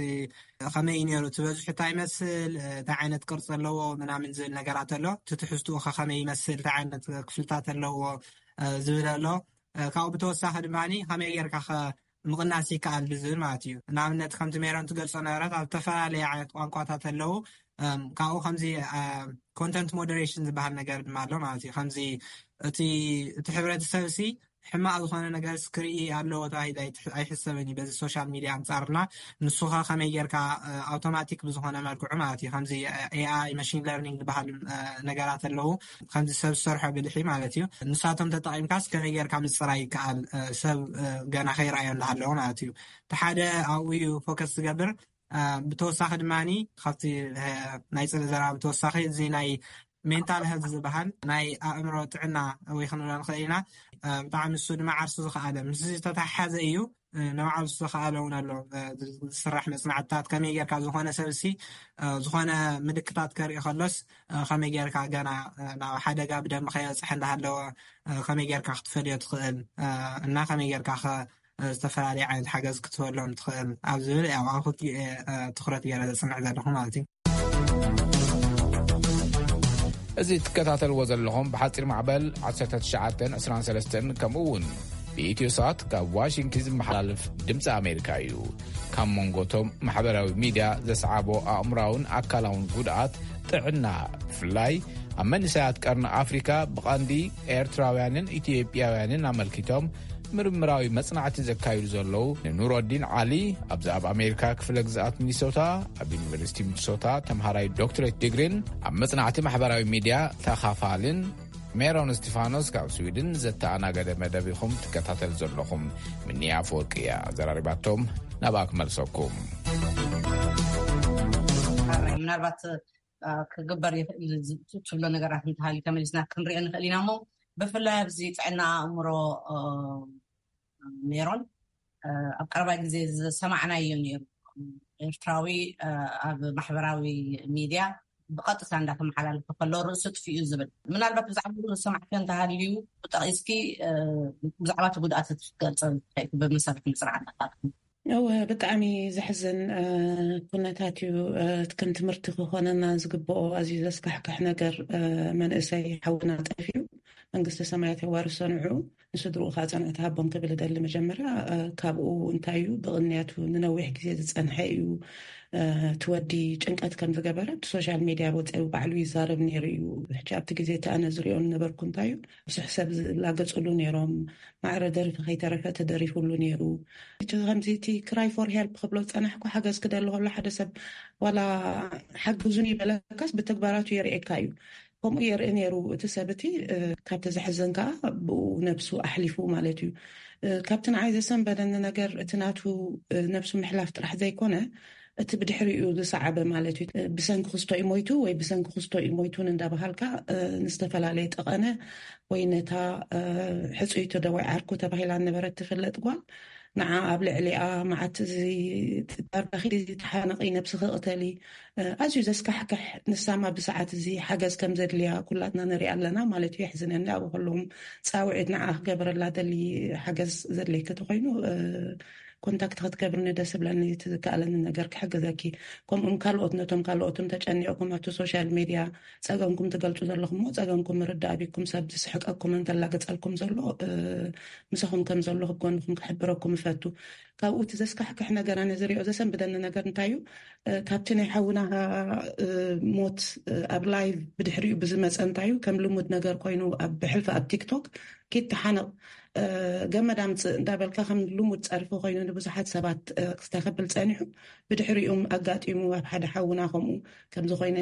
ከመይ እዩ ነይሩ፣ እቲ በዝሑ እንታይ ይመስል፣ እንታይ ዓይነት ቅርፂ ኣለዎ ምናምን ዝብል ነገራት ኣሎ። እቲ ትሕዝትኡ ከ ከመይ ይመስል፣ እንታይ ዓይነት ክፍልታት ኣለዎ ዝብል ኣሎ። ካብኡ ብተወሳኺ ድማ ከመይ ጌርካ ከ ምቕናስ ይከኣል ብዝብል ማለት እዩ። ንኣብነት ከምቲ ሜሮን ትገልፆ ነበረት ኣብ ዝተፈላለየ ዓይነት ቋንቋታት ኣለዉ። ካብኡ ከምዚ ኮንተንት ሞደሬሽን ዝበሃል ነገር ድማ ኣሎ ማለት እዩ። ከምዚ እቲ እቲ ሕብረተሰብ ሲ ሕማቕ ዝኾነ ነገር ክርኢ ኣለዎ ተባሂሉ ኣይሕሰብን እዩ በዚ ሶሻል ሚድያ ኣንፃርና። ንሱኸ ከመይ ጌርካ ኣውቶማቲክ ብዝኾነ መልክዑ ማለት እዩ ከምዚ ኤኣይ መሽን ለርኒንግ ዝበሃል ነገራት ኣለዉ ከምዚ ሰብ ዝሰርሖ ብልሒ ማለት እዩ። ንሳቶም ተጠቒምካስ ከመይ ጌርካ ምፅራይ ይከኣል ሰብ ገና ከይረኣዮ እንዳሃለዎ ማለት እዩ። እቲ ሓደ ኣብኡ እዩ ፎከስ ዝገብር። ብተወሳኺ ድማ ካብቲ ናይ ፅልኢ ዘረባ ብተወሳኺ እዚ ናይ ሜንታል ሄልት ዝበሃል ናይ ኣእምሮ ጥዕና ወይ ክንብሎ ንኽእል ኢና። ብጣዕሚ እሱ ድማ ዓርሱ ዝኸኣለ ምስ ዝተተሓሓዘ እዩ። ንባዕሉ ዝኸኣለ እውን ኣሎ። ዝስራሕ መፅናዕትታት ከመይ ጌርካ ዝኾነ ሰብ ሲ ዝኾነ ምልክታት ከርኢ ከሎስ ከመይ ጌርካ ገና ናብ ሓደጋ ብደንቢ ከየብፅሐ እንዳሃለወ ከመይ ጌርካ ክትፈልዮ ትኽእል እና ከመይ ጌርካ ዝተፈላለዩ ዓይነት ሓገዝ ክትህበሎም ትኽእል ኣብ ዝብል ያው ኣብ ክልቲኡ እየ ትኩረት ገይረ ዘፅንዕ ዘለኹ ማለት እዩ። እዚ ትከታተልዎ ዘለኹም ብሓፂር ማዕበል ዓሰርተ ትሽዓተ ዕስራን ሰለስተን ከምኡ እውን ብኢትዮ ሳት ካብ ዋሽንግተን ዝመሓላለፍ ድምፂ ኣሜሪካ እዩ። ካብ መንጎቶም ማሕበራዊ ሚድያ ዘስዓቦ ኣእምራውን ኣካላውን ጉድኣት ጥዕና ብፍላይ ኣብ መንእሰያት ቀርኒ ኣፍሪካ ብቐንዲ ኤርትራውያንን ኢትዮጵያውያንን ኣመልኪቶም ምርምራዊ መጽናዕቲ ዘካይዱ ዘለዉ ንኑረዲን ዓሊ ኣብዚ ኣብ ኣሜሪካ ክፍለ ግዝኣት ሚኒሶታ ኣብ ዩኒቨርሲቲ ሚኒሶታ ተምሃራይ ዶክትሬት ዲግሪን ኣብ መጽናዕቲ ማሕበራዊ ሚድያ ተኻፋልን ሜሮን እስቲፋኖስ ካብ ስዊድን ዘተኣናገደ መደብ ኢኹም ትከታተል ዘለኹም። ምንያ ኣፈወርቂ እያ ኣዘራሪባቶም። ናብኣ ክመልሰኩም። ምናልባት ክግበር ይኽእል ትብሎ ነገራት እንተሃልዩ ተመሊስና ክንሪኦ ንኽእል ኢና እሞ ብፍላይ ኣብዚ ጥዕና ኣእምሮ ሜሮን ኣብ ቀረባ ግዜ ዝሰማዕናዮ ነይሩ። ኤርትራዊ ኣብ ማሕበራዊ ሚድያ ብቐጥታ እንዳተመሓላለፈ ከሎ ርእሱ ጥፊኡ ዝብል ምናልባት ብዛዕባ ዝሰማዕከ እንተሃልዩ ጠቒስኪ ብዛዕባ እቲ ጉድኣት ክትገልፀ ብመሰረት ምፅናዕታትካ። እወ፣ ብጣዕሚ ዘሕዝን ኩነታት እዩ። ከም ትምህርቲ ክኾነና ዝግብኦ ኣዝዩ ዘስካሕክሕ ነገር መንእሰይ ሓውና ጠፊኡ። መንግስተ ሰማያት የዋርሶ ንዑ ንስድርኡ ከዓ ፅንዕቲ ሃቦም ክብል እደሊ። መጀመርያ ካብኡ እንታይ እዩ ብቕንያቱ ንነዊሕ ግዜ ዝፀንሐ እዩ። እቲ ወዲ ጭንቀት ከም ዝገበረ ብሶሻል ሚድያ ወፂኡ ባዕሉ ይዛረብ ነይሩ እዩ። ሕጂ ኣብቲ ግዜ እቲ ኣነ ዝሪኦ ዝነበርኩ እንታይ እዩ ብዙሕ ሰብ ዝላገፅሉ ነይሮም። ማዕረ ደርፊ ከይተረፈ ተደሪፉሉ ነይሩ። እቲ ከምዚ እቲ ክራይ ፎር ሄልፕ ክብሎ ዝፀናሕኩ ሓገዝ ክደሊ ከሎ ሓደ ሰብ ዋላ ሓግዙን ይበለካስ ብተግባራቱ የርእየካ እዩ። ከምኡ የርኢ ነይሩ እቲ ሰብ እቲ ካብቲ ዘሕዝን ከዓ ብኡ ነብሱ ኣሕሊፉ ማለት እዩ። ካብቲ ንዓይ ዘሰንበደኒ ነገር እቲ ናቱ ነብሱ ምሕላፍ ጥራሕ ዘይኮነ እቲ ብድሕሪኡ ዝሰዓበ ማለት እዩ። ብሰንኪ ክስቶ እዩ ሞይቱ ወይ ብሰንኪ ክስቶ እዩ ሞይቱን እንዳበሃልካ ንዝተፈላለየ ጠቐነ ወይ ነታ ሕፁይቲ ዶ ወይ ዓርኩ ተባሂላ ነበረት ትፍለጥ ጓል ንዓ ኣብ ልዕሊኣ መዓት እዚ ዳርጋኺ ተሓነቒ ነብስኺ ቅተሊ ኣዝዩ ዘስካሕክሕ ንሳማ ብሰዓት እዚ ሓገዝ ከም ዘድልያ ኩላትና ንሪኣ ኣለና ማለት እዩ። የሕዝነኒ ኣብ ኩሎም ፃውዒት ንዓ ክገበረላ ደሊ ሓገዝ ዘድልየኪ ተኮይኑ ኮንታክት ክትገብርኒ ደስ ብለኒ። እቲ ዝከኣለኒ ነገር ክሕግዘኪ። ከምኡም ካልኦት፣ ነቶም ካልኦትም ተጨኒቕኩም ኣብቲ ሶሻል ሜድያ ጸገምኩም ትገልጹ ዘለኹም፣ ጸገምኩም ምርዳእ ኣቢኩም፣ ሰብ ዝስሕቀኩም እንተላገጸልኩም ዘሎ፣ ምሳኹም ከም ዘለኹ ጎንኹም ክሕብረኩም እፈቱ። ካብኡ እቲ ዘስካሕክሕ ነገር፣ ኣነ ዝሪኦ ዘሰንብደኒ ነገር እንታይ እዩ? ካብቲ ናይ ሓውና ሞት ኣብ ላይቭ ብድሕሪኡ ብዝመፀ እንታይ እዩ፣ ከም ልሙድ ነገር ኮይኑ ኣብ ብሕልፊ ኣብ ቲክቶክ ኪድ ተሓነቕ፣ ገመድ ኣምፅእ እንዳበልካ ከም ልሙድ ፀርፊ ኮይኑ ንብዙሓት ሰባት ክስተኸብል ፀኒሑ። ብድሕሪኡም ኣጋጢሙ ኣብ ሓደ ሓውና ከምኡ ከምዚ ኮይነ፣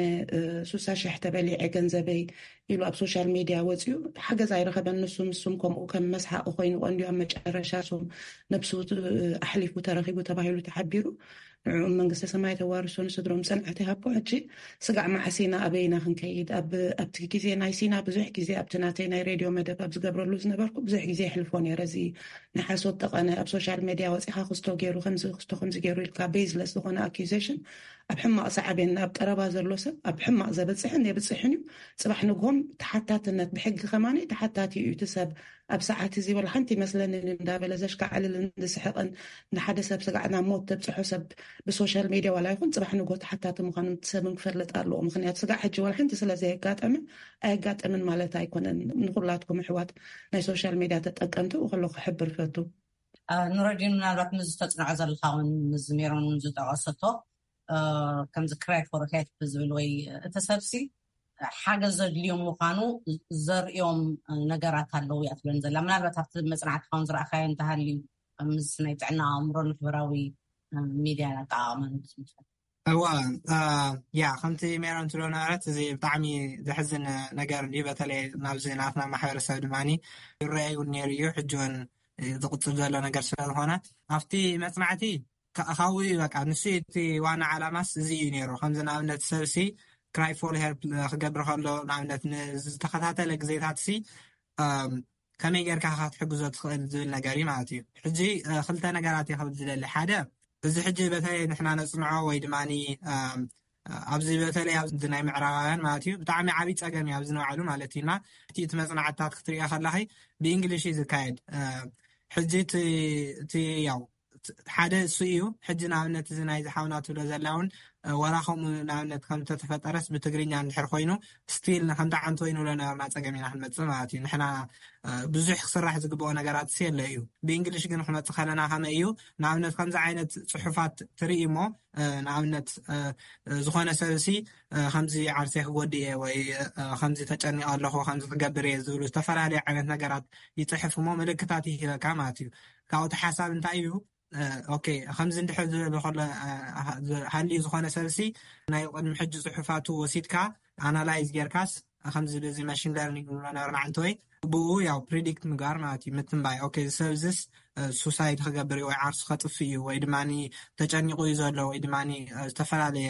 ሱሳ ሽሕ ተበሊዐ ገንዘበይ ኢሉ ኣብ ሶሻል ሜድያ ወፂኡ። ሓገዝ ኣይረኸበን። ንሱ ምስም ከምኡ ከም መስሓቂ ኮይኑ ቀንዲ ኣብ መጨረሻ ስም ነብሱ ኣሕሊፉ ተረኺቡ ተባሂሉ ተሓቢሩ። ንዕኡም መንግስተ ሰማይ ተዋርሶ፣ ንስድሮም ጽንዓት ይሃቦ። ሕጂ ስጋዕ መዓስ ኢና ኣበይና ክንከይድ? ኣብቲ ግዜ ናይ ሲና ብዙሕ ግዜ ኣብቲ ናተይ ናይ ሬድዮ መደብ ኣብ ዝገብረሉ ዝነበርኩ ብዙሕ ግዜ የሕልፎ ነይረ። እዚ ንሓሶት ጠቐነ ኣብ ሶሻል ሜድያ ወፂኻ ክስቶ ገይሩ ከምዚ ክስቶ ከምዚ ገይሩ ኢልካ ቤዝለስ ዝኾነ ኣኪዜሽን ኣብ ሕማቕ ሰዓቤን ኣብ ቀረባ ዘሎ ሰብ ኣብ ሕማቕ ዘብፅሕን የብፅሕን እዩ። ፅባሕ ንግሆም ተሓታትነት ብሕጊ ከማኒ ተሓታቲ እዩ እቲ ሰብ። ኣብ ሰዓት እዚ ወላ ሓንቲ ይመስለንን እንዳበለ ዘሽካዕልልን ዝስሕቕን ንሓደ ሰብ ስጋዕ ናብ ሞት ተብፅሖ ሰብ ብሶሻል ሜድያ ዋላ ይኹን ፅባሕ ንግሆ ተሓታቲ ምዃኑ ሰብን ክፈልጥ ኣለዎ። ምክንያቱ ስጋዕ ሕጂ ዋላ ሓንቲ ስለ ዘየጋጠመ ኣየጋጠምን ማለት ኣይኮነን። ንኩላትኩም ኣሕዋት ናይ ሶሻል ሜድያ ተጠቀምቲ ከሎ ክሕብር ፈቱ። ኑረዲን ምናልባት ምስ ዝተፅንዖ ዘለካ እውን ምስ ሜሮን ዝጠቐሰቶ ከምዚ ክራይ ፎር ሄልፕ ዝብል ወይ እቲ ሰብሲ ሓገዝ ዘድልዮም ምዃኑ ዘርእዮም ነገራት ኣለዉ እያ ትብለን ዘላ። ምናልባት ኣብቲ መፅናዕቲ ካውን ዝረኣካዮ እንተሃልዩ ምስ ናይ ጥዕና ኣእምሮ ማሕበራዊ ሚድያ ኣጠቃቕማ ንክትምልከት። እዋ ያ ከምቲ ሜሮን ትብሎ ነበረት፣ እዚ ብጣዕሚ ዘሕዝን ነገር እዩ። በተለይ ናብዚ ናትና ማሕበረሰብ ድማ ይረኣይ እውን ነይሩ እዩ። ሕጂ እውን ዝቕፅል ዘሎ ነገር ስለዝኾነ ኣብቲ መፅናዕቲ ካብኡ እዩ በቃ ንሱ እቲ ዋና ዓላማስ እዚ እዩ ነይሩ። ከምዚ ንኣብነት ሰብሲ ክራይ ፎር ሄልፕ ክገብር ከሎ ንኣብነት ንዝተኸታተለ ግዜታት ሲ ከመይ ጌርካ ክትሕግዞ ትኽእል ዝብል ነገር እዩ ማለት እዩ። ሕጂ ክልተ ነገራት እየ ክብል ዝደሊ። ሓደ እዚ ሕጂ በተለይ ንሕና ነፅንዖ ወይ ድማ ኣብዚ በተለይ ኣብዚ ናይ ምዕራባውያን ማለት እዩ ብጣዕሚ ዓብይ ፀገም እዩ ኣብዚ ንባዕሉ ማለት እዩ። እና እቲ እቲ መፅናዕትታት ክትሪኦ ከለኺ ብእንግሊሽ እዩ ዝካየድ። ሕጂ እቲ ያው ሓደ እሱ እዩ። ሕጂ ንኣብነት እዚ ናይ ዝሓውና ትብሎ ዘላ እውን ወላ ከምኡ ንኣብነት ከም ተተፈጠረስ ብትግርኛ እንድሕር ኮይኑ ስቲል ንከምታ ዓንቶ ይንብሎ ነበርና ፀገም ኢና ክንመፅእ ማለት እዩ። ንሕና ብዙሕ ክስራሕ ዝግብኦ ነገራት ሲ የለ እዩ። ብእንግሊሽ ግን ክመፅእ ከለና ከመይ እዩ ንኣብነት ከምዚ ዓይነት ፅሑፋት ትርኢ እሞ ንኣብነት ዝኾነ ሰብ ሲ ከምዚ ዓርሰ ክጎድእ እየ ወይ ከምዚ ተጨኒቐ ኣለኹ ከምዚ ክገብር እየ ዝብሉ ዝተፈላለዩ ዓይነት ነገራት ይፅሕፍ እሞ ምልክታት ይሂበካ ማለት እዩ። ካብኡ እቲ ሓሳብ እንታይ እዩ ኦኬ ከምዚ እንድሕር ዝበለ ከሎ ሃልዩ ዝኾነ ሰብሲ ናይ ቅድሚ ሕጂ ፅሑፋቱ ወሲድካ ኣናላይዝ ጌርካስ ከምዚ በዚ ማሽን ለርኒንግ ንብሎ ነበርና ዓንተወይ ብኡ ያው ፕሪዲክት ምግባር ማለት እዩ። ምትንባይ ኦኬ እዚ ሰብዝስ ሱሳይድ ክገብር እዩ ወይ ዓርሱ ከጥፍ እዩ ወይ ድማ ተጨኒቑ እዩ ዘሎ ወይ ድማ ዝተፈላለየ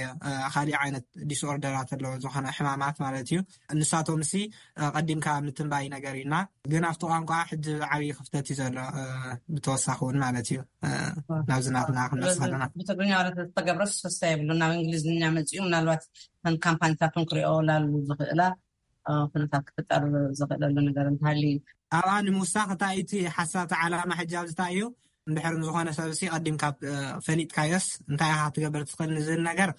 ካሊእ ዓይነት ዲስኦርደራት ኣለዎ ዝኾነ ሕማማት ማለት እዩ። ንሳቶም ሲ ቀዲምካ ምትንባይ ነገር እዩና ግን ኣብቲ ቋንቋ ሕጂ ዓብዪ ክፍተት እዩ ዘሎ። ብተወሳኺ እውን ማለት እዩ ናብዚ ናትና ክንመፅእ ከለና ብትግርኛ ማለት ዝተገብረ ሰስታ የብሉ ናብ እንግሊዝኛ መፅኡ ምናልባት ከም ካምፓኒታት እውን ክሪኦ ላሉ ዝኽእላ ኩነታት ክፍጠር ዝኽእለሉ ነገር እንተሃልዩ እዩ። ኣብኣ ንምውሳኽ እንታይ እቲ ሓሳብ እቲ ዓላማ ሕጂ ኣብዚ እንታይ እዩ እንድሕር ንዝኾነ ሰብ ሲ ቀዲምካ ፈሊጥካዮስ እንታይ ኢኻ ክትገብር ትኽእል ንዝብል ነገር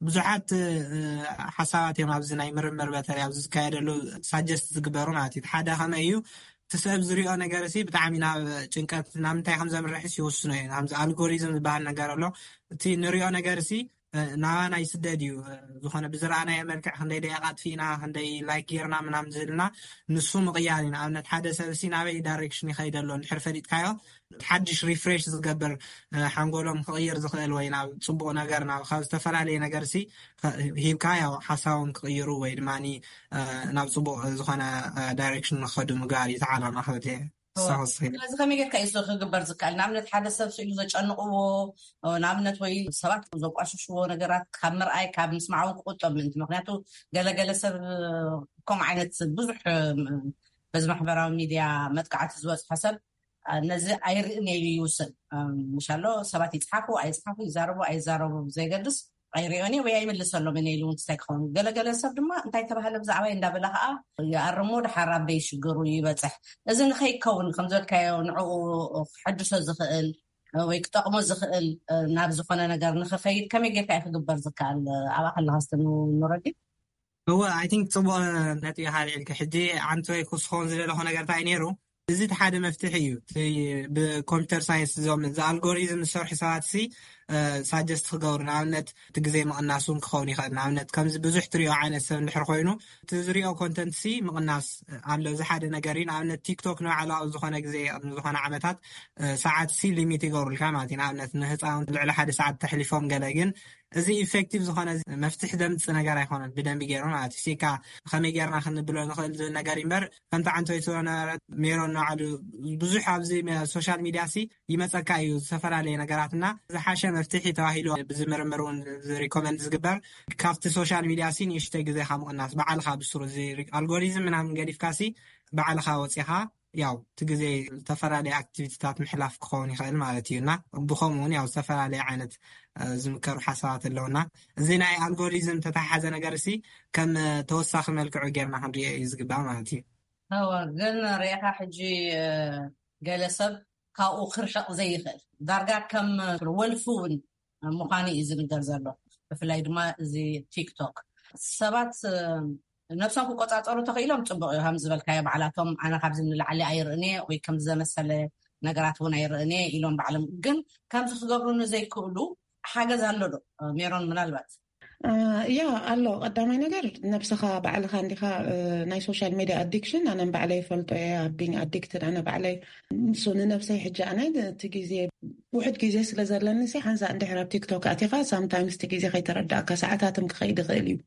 ብዙሓት ሓሳባት እዮም ኣብዚ ናይ ምርምር በተለይ ኣብዚ ዝካየደሉ ሳጀስት ዝግበሩ ማለት እዩ። ሓደ ከመይ እዩ እቲ ሰብ ዝሪኦ ነገር ሲ ብጣዕሚ ናብ ጭንቀት ናብ ምንታይ ከም ዘምርሕስ ይውስኖ እዩ። ኣብዚ ኣልጎሪዝም ዝበሃል ነገር ኣሎ። እቲ ንሪኦ ነገር ሲ ናባና ይስደድ እዩ። ዝኾነ ብዝረኣናዮ መልክዕ ክንደይ ደቂቃ ኣጥፊእና ክንደይ ላይክ ጌርና ምናምን ዝህልና ንሱ ምቕያር እዩ። ንኣብነት ሓደ ሰብ ሲ ናበይ ዳይሬክሽን ይኸይድ ኣሎ እንድሕር ፈሊጥካዮ ሓድሽ ሪፍሬሽ ዝገብር ሓንጎሎም ክቕይር ዝኽእል ወይ ናብ ፅቡቕ ነገር ናብ ካብ ዝተፈላለየ ነገር ሲ ሂብካ ያው ሓሳቦም ክቕይሩ ወይ ድማ ናብ ፅቡቕ ዝኾነ ዳይሬክሽን ንክኸዱ ምግባር እዩ ተዓላማ ክብል እየ። ስለዚ ከመይ ጌርካ እዩ ክግበር ዝከኣል? ንኣብነት ሓደ ሰብ ስኢሉ ዘጨንቕዎ ንኣብነት ወይ ሰባት ዘቋሽሽዎ ነገራት ካብ ምርኣይ ካብ ምስማዕ እውን ክቁጠብ ምእንቲ። ምክንያቱ ገለገለ ሰብ ከምኡ ዓይነት ብዙሕ በዚ ማሕበራዊ ሚድያ መጥቃዕቲ ዝበፅሖ ሰብ ነዚ ኣይርእን ኢሉ ይውስን። ምሻሎ ሰባት ይፅሓፉ ኣይፅሓፉ ይዛረቡ ኣይዛረቡ ዘይገድስ ኣይሪኦን ወይ ኣይምልሰሎም እየ ኢሉ እውን ክሳይ ክኸውን። ገለገለ ሰብ ድማ እንታይ ተባህለ ብዛዕባይ እንዳበለ ከዓ ይኣርሞ ድሓር ኣበይ ሽግሩ ይበፅሕ። እዚ ንኸይከውን ከም ዝበልካዮ ንዕኡ ክሐድሶ ዝኽእል ወይ ክጠቕሞ ዝኽእል ናብ ዝኾነ ነገር ንኽኸይድ ከመይ ጌርካ እዩ ክግበር ዝከኣል? ኣብኣ ከለኻ ስትንረዲ እወ፣ I think ጽቡቕ ነጥቢ ኢኻ ኣልዒልካ። ሕጂ ዓንተወይ ክስኮን ዝደለኹ ነገር እንታይ ነይሩ? እዚ እቲ ሓደ መፍትሒ እዩ። እቲ ብኮምፒተር ሳይንስ እዞም እዚ ኣልጎሪዝም ዝሰርሑ ሰባት ሲ ሳጀስት ክገብሩ፣ ንኣብነት እቲ ግዜ ምቕናስ እውን ክኸውን ይኽእል። ንኣብነት ከምዚ ብዙሕ ትሪኦ ዓይነት ሰብ እንድሕር ኮይኑ እቲ ዝሪኦ ኮንተንት ሲ ምቕናስ ኣሎ። እዚ ሓደ ነገር እዩ። ንኣብነት ቲክቶክ ንባዕሉ ኣብ ዝኾነ ግዜ ኣብ ዝኾነ ዓመታት ሰዓት ሲ ሊሚት ይገብሩልካ ማለት እዩ። ንኣብነት ንህፃውንቲ ልዕሊ ሓደ ሰዓት ተሕሊፎም ገለ ግን እዚ ኢፌክቲቭ ዝኾነ መፍትሒ ዘምፅእ ነገር ኣይኮነን። ብደንቢ ገይሩ ማለት እዩ። ሲካ ከመይ ገይርና ክንብሎ ንኽእል ዝብል ነገር እምበር ከምቲ ዓንተወይ ትብሎ ነበረት ሜሮን ንባዕሉ ብዙሕ ኣብዚ ሶሻል ሚድያ ሲ ይመፀካ እዩ ዝተፈላለየ ነገራት እና ዝሓሸ መፍትሒ ተባሂሉ ብዝምርምር እውን ሪኮመንድ ዝግበር ካብቲ ሶሻል ሚድያ ሲ ንእሽተይ ግዜኻ ምቕናስ ባዕልኻ ብስሩ እዚ ኣልጎሪዝም ምናምን ገዲፍካ ሲ ባዕልኻ ወፂኻ ያው እቲ ግዜ ዝተፈላለየ ኣክቲቪቲታት ምሕላፍ ክኸውን ይኽእል ማለት እዩ እና ብኸምኡ እውን ያው ዝተፈላለየ ዓይነት ዝምከሩ ሓሳባት ኣለውና እዚ ናይ ኣልጎሪዝም ተተሓሓዘ ነገር ሲ ከም ተወሳኺ መልክዑ ጌርና ክንሪኦ እዩ ዝግባእ ማለት እዩ። እወ፣ ግን ርኢኻ ሕጂ ገለ ሰብ ካብኡ ክርሕቕ ዘይኽእል ዳርጋ ከም ወልፊ እውን ምዃኑ እዩ ዝንገር ዘሎ። ብፍላይ ድማ እዚ ቲክቶክ ሰባት ነብሶም ክቆፃፀሩ ተኽኢሎም ፅቡቅ እዩ። ከም ዝበልካዮ ባዕላቶም ኣነ ካብዚ ንላዕሊ ኣይርእን ወይ ከም ዘመሰለ ነገራት እውን ኣይርእን ኢሎም ባዕሎም ግን ከምዚ ክገብሩ ንዘይክእሉ ሓገዝ ኣሎ ዶ? ሜሮን ምናልባት ያ ኣሎ። ቀዳማይ ነገር ነብስኻ ባዕልኻ እንዲኻ ናይ ሶሻል ሚድያ ኣዲክሽን ኣነን ባዕለይ ይፈልጦ እየ። ኣብ ቢንግ ኣዲክትድ ኣነ ባዕለይ ንሱ ንነብሰይ ሕጂ ኣነ እቲ ግዜ ውሕድ ግዜ ስለ ዘለኒ ሲ ሓንሳ እንድሕር ኣብ ቲክቶክ ኣቲኻ ሳምታይምስ እቲ ግዜ ከይተረዳእካ ሰዓታትም ክኸይድ ይኽእል እዩ።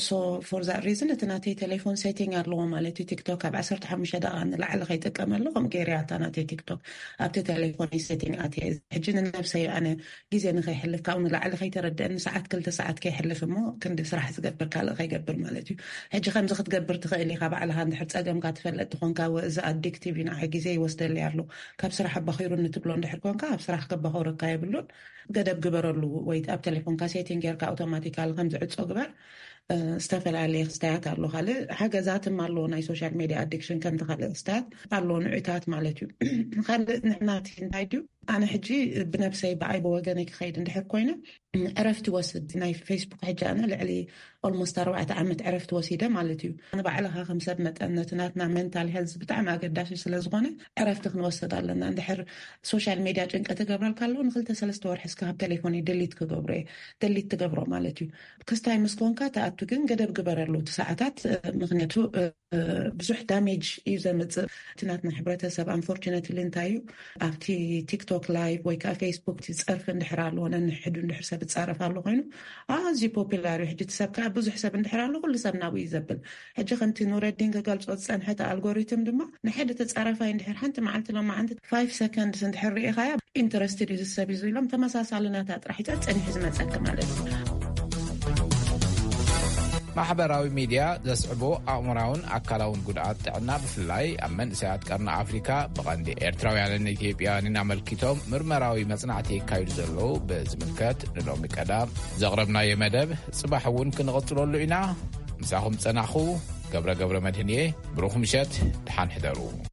ሶ ፎር ዛት ሪዝን እቲ ናተይ ቴሌፎን ሴቲንግ ኣለዎ ማለት እዩ። ቲክቶክ ካብ ዓሰርተ ሓሙሽተ ደቂቃ ንላዕሊ ከይጥቀመሉ ከም ገይርያ እታ ናተይ ቲክቶክ ኣብቲ ቴሌፎን ሴቲንግ ኣትየ። ሕጂ ንነብሰይ ኣነ ግዜ ንኸይሕልፍ ካብኡ ንላዕሊ ከይተረድአኒ ሰዓት ክልተ ሰዓት ከይሕልፍ እሞ ክንዲ ስራሕ ዝገብር ካልእ ከይገብር ማለት እዩ። ሕጂ ከምዚ ክትገብር ትኽእል ኢኻ ባዕልኻ እንድሕር ፀገምካ ትፈልጥ ትኾንካ ወ- እዚ ኣዲክቲቭ እዩ ንዓይ ግዜ ይወስደለይ ኣሎ ካብ ስራሕ ኣባኺሩኒ ትብሎ እንድሕር ኮንካ ኣብ ስራሕ ከባኸረካ የብሉን። ገደብ ግበረሉ ወይ ኣብ ቴሌፎንካ ሴቲንግ ጌርካ ኣውቶማቲካሊ ከም ዝዕፆ ግበር። ዝተፈላለየ ክስታያት ኣሎ ካልእ ሓገዛትም ኣለዎ ናይ ሶሻል ሜድያ ኣዲክሽን ከምቲ ካልእ ክስታያት ኣለዎ ንዑታት ማለት እዩ። ካልእ ንሕናቲ እንታይ ድዩ ኣነ ሕጂ ብነብሰይ ብኣይ ብወገነይ ክኸይድ እንድሕር ኮይነ ዕረፍቲ ወስድ ናይ ፌስቡክ ሕጂ ኣነ ልዕሊ ኦልሞስት ኣርባዕተ ዓመት ዕረፍቲ ወሲደ ማለት እዩ። ንባዕልኻ ከም ሰብ መጠን ነቲ ናትና ሜንታል ሄልዝ ብጣዕሚ ኣገዳሲ ስለ ዝኾነ ዕረፍቲ ክንወስድ ኣለና። እንድሕር ሶሻል ሜድያ ጭንቀት ይገብረልካ ኣለዎ ንክልተ ሰለስተ ወርሒ እስካ ካብ ቴሌፎን ደሊት ክገብሮ እየ ደሊት ትገብሮ ማለት እዩ። ክስታይ ምስ ኮንካ ተኣቱ ግን ገደብ ግበረሉ እቲ ሰዓታት ምክንያቱ ብዙሕ ዳሜጅ እዩ ዘምፅእ። እቲ ናትና ሕብረተሰብ ኣንፎርችነትሊ እንታይ እዩ ኣብቲ ቲክቶክ ላይቭ ወይ ከዓ ፌስቡክ እቲ ፀርፊ እንድሕር ኣለዎ ነንሕዱ እንድሕር ሰብ ይፃረፍ ኣሎ ኮይኑ ኣዝዩ ፖፑላር እዩ። ሕጂ እቲ ሰብ ከዓ ብዙሕ ሰብ እንድሕር ኣሎ ኩሉ ሰብ ናብኡ እዩ ዘብል። ሕጂ ከምቲ ኑረዲን ክገልፆ ዝፀንሐ እቲ ኣልጎሪትም ድማ ንሓደ ተፃራፋይ እንድሕር ሓንቲ መዓልቲ ሎማዓንቲ ፋይቭ ሰከንድስ እንድሕር ርኢኻያ ኢንተረስትድ እዩ ዝሰብ እዩ ኢሎም ተመሳሳሊ ናታ ጥራሕ እዩ ፀኒሑ ዝመፀኪ ማለት እዩ። ማሕበራዊ ሚድያ ዘስዕቦ ኣእምራውን ኣካላውን ጉድኣት ጥዕና ብፍላይ ኣብ መንእሰያት ቀርኒ ኣፍሪካ ብቐንዲ ኤርትራውያንን ኢትዮጵያውያንን ኣመልኪቶም ምርመራዊ መጽናዕቲ የካይዱ ዘለዉ ብዝምልከት ንሎሚ ቀዳም ዘቕረብናዮ መደብ ጽባሕ እውን ክንቕጽለሉ ኢና። ምሳኹም ጸናኹ ገብረ ገብረ መድህን እየ። ብሩኽ ምሸት፣ ደሓን ሕደሩ።